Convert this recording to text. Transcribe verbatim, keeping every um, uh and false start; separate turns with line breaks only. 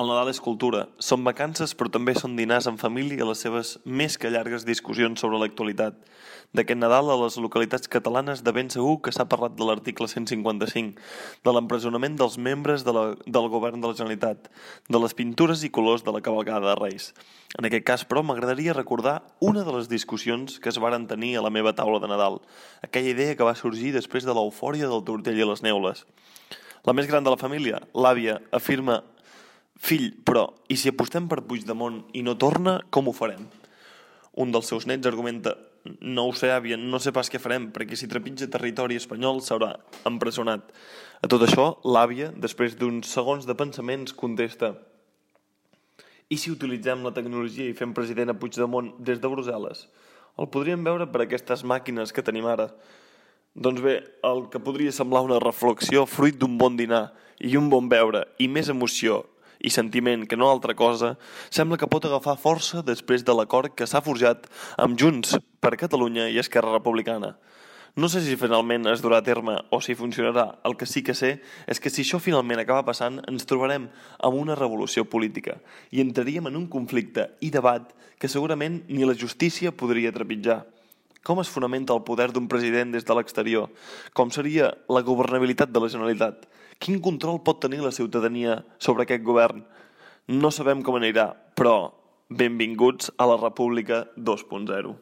El Nadal és cultura, són vacances però també són dinars en família i les seves més que llargues discussions sobre l'actualitat. D'aquest Nadal a les localitats catalanes de ben segur que s'ha parlat de l'article cent cinquanta-cinc, de l'empresonament dels membres de la, del govern de la Generalitat, de les pintures i colors de la cavalcada de Reis. En aquest cas, però, m'agradaria recordar una de les discussions que es varen tenir a la meva taula de Nadal, aquella idea que va sorgir després de l'eufòria del tortell i les neules. La més gran de la família, l'àvia, afirma: «Fill, però, i si apostem per Puigdemont i no torna, com ho farem?» Un dels seus nets argumenta: «No ho sé, àvia, no sé pas què farem, perquè si trepitja territori espanyol s'haurà empresonat». A tot això, l'àvia, després d'uns segons de pensaments, contesta: «I si utilitzem la tecnologia i fem president a Puigdemont des de Brussel·les? El podríem veure per aquestes màquines que tenim ara». Doncs bé, el que podria semblar una reflexió fruit d'un bon dinar i un bon beure i més emoció i sentiment que no altra cosa, sembla que pot agafar força després de l'acord que s'ha forjat amb Junts per Catalunya i Esquerra Republicana. No sé si finalment es durà a terme o si funcionarà. El que sí que sé és que si això finalment acaba passant, ens trobarem amb una revolució política i entraríem en un conflicte i debat que segurament ni la justícia podria trepitjar. Com es fonamenta el poder d'un president des de l'exterior? Com seria la governabilitat de la Generalitat? Quin control pot tenir la ciutadania sobre aquest govern? No sabem com anirà, però benvinguts a la República dos punt zero.